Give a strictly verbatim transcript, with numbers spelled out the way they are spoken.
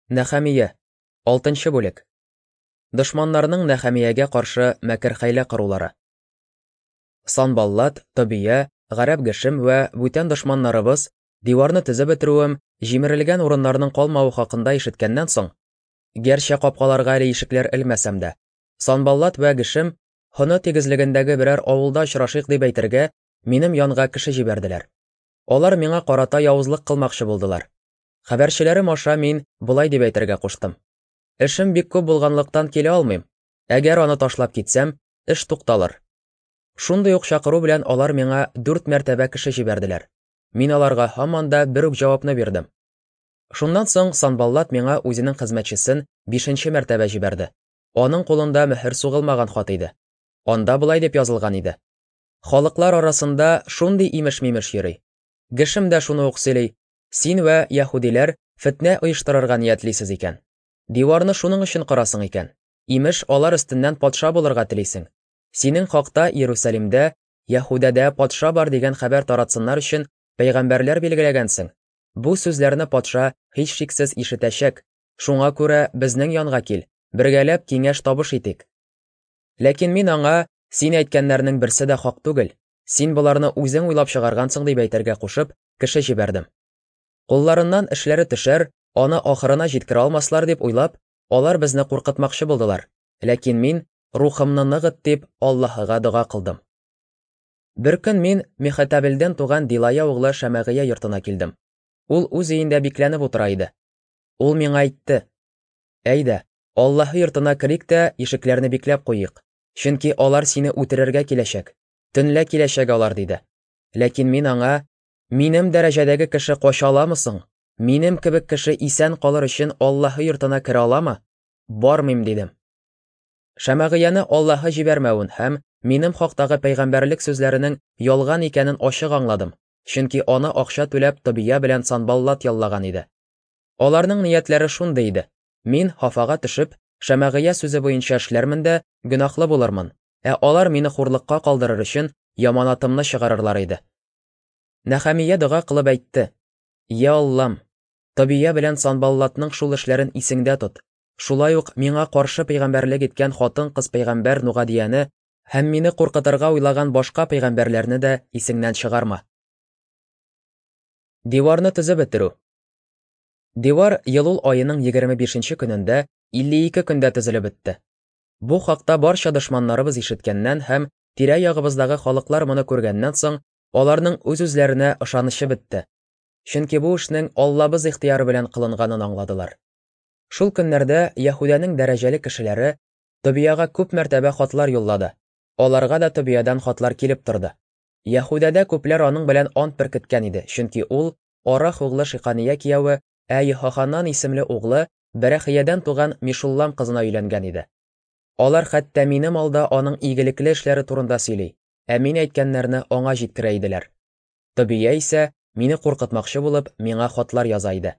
Нәхәмия, алтынчы бүлек. Дошманнарның Нәхәмиягә каршы мәкер-хәйлә корулары. Санбаллат, Тобия, Гарәп Гешем вә бүтән дошманнарыбыз диварны төзеп бетерүем, җимерелгән урыннарның калмавы хакында ишеткәннән соң, гәрчә капкаларга әле ишекләр элмәсәм дә, Санбаллат вә Гешем Хоно тигезлегендәге берәр авылда очрашыйк дип әйтергә минем янга кеше җибәрделәр. Алар миңа карата явызлык кылмакчы булдылар. Хәбәрчеләрем аша мин болай дип әйтергә куштым: Эшем бик күп булганлыктан килә алмыйм. Әгәр аны ташлап китсәм, эш тукталыр. Шундый ук чакыру белән алар миңа дүрт мәртәбә кеше җибәрделәр. Мин аларга һаман да бер үк җавапны бирдем. Шуннан соң Санбаллат миңа үзенең хезмәтчесен бишенче мәртәбә җибәрде. Аның кулында мөһер сугылмаган хат иде. Анда болай дип язылган иде: Халыклар арасында шундый имеш-мимеш йөри. Гешем дә шуны ук сөйли. Син вә яһүдиләр фетнә оештырырга ниятлисез икән. Диварны шуның өчен корасың икән. Имеш, алар өстеннән патша булырга телисең. Синең хакта Иерусалимдә, Яһүдәдә патша бар дигән хәбәр таратсыннар өчен пәйгамбәрләр билгеләгәнсең. Бу сүзләрне патша һичшиксез ишетәчәк. Шуңа күрә безнең янга кил, бергәләп киңәш табыш итик. Ләкин мин аңа, син әйткәннәрнең берсе дә хак түгел. Син боларны үзең уйлап чыгаргансың дип әйтергә кушып, кеше җибәрдем. Кулларыннан эшләре төшәр, аны ахырына җиткерә алмаслар дип уйлап, алар безне куркытмакчы булдылар. Ләкин мин рухымны ныгыт дип Аллаһыга дога кылдым. Бер көн мин Мехетабелдән туган Дилая углы Шәмәгыя йортына килдем. Ул үз өендә бикләнеп утыра иде. Ул миңа әйтте: Әйдә, Аллаһы йортына керик тә ишекләрне бикләп куйыйк, чөнки алар сине үтерергә киләчәк. Төнлә киләчәк алар, диде. Ләкин мин аңа: Минем дәрәҗәдәге кеше кача аламы соң? Минем кебек кеше исән калыр өчен Аллаһы йортына керә аламы? Бармыйм, дидем. Шәмәгыяне Аллаһы җибәрмәвен һәм минем хактагы пәйгамбәрлек сүзләренең ялган икәнен ачык аңладым, чөнки аны акча түләп Тобия белән Санбаллат яллаган иде. Аларның ниятләре шундый иде: мин хафага төшеп, Шәмәгыя сүзе буенча эшләрмен дә гөнаһлы булырмын, ә алар мине хурлыкка калдырыр өчен яманатымны чыгарырлар иде. Нәхәмия дога кылып әйтте: Я Аллам, Тобия белән Санбаллатның шул эшләрен исеңдә тот. Шулай ук миңа каршы пәйгамбәрлек иткән хатын-кыз пәйгамбәр Нугадияне һәм мине куркытырга уйлаган башка пәйгамбәрләрне дә исеңнән чыгарма. Диварны төзеп бетерү. Дивар Елул аеның егерме бишенче көнендә илле ике көндә төзелеп бетте. Бу хакта барча дошманнарыбыз ишеткәннән һәм тирә-ягыбыздагы халыклар моны күргәннән соң, аларның үз-үзләренә ышанычы бетте. Чөнки бу эшнең Аллабыз ихтыяры белән кылынганын аңладылар. Шул көннәрдә Яһүдәнең дәрәҗәле кешеләре Тобияга күп мәртәбә хатлар юллады. Аларга да Тобиядан хатлар килеп торды. Яһүдәдә күпләр аның белән ант беркеткән иде, чөнки ул Арах углы Шикания кияве, ә Йехоханан исемле углы Бәрәхиядән туган Мишуллам кызына өйләнгән иде. Алар хәтта минем алда аның игелекле эшләре турында сөйли, ә мин әйткәннәрне аңа җиткерә иделәр. Тобия исә мине куркытмакчы булып миңа хатлар яза иде.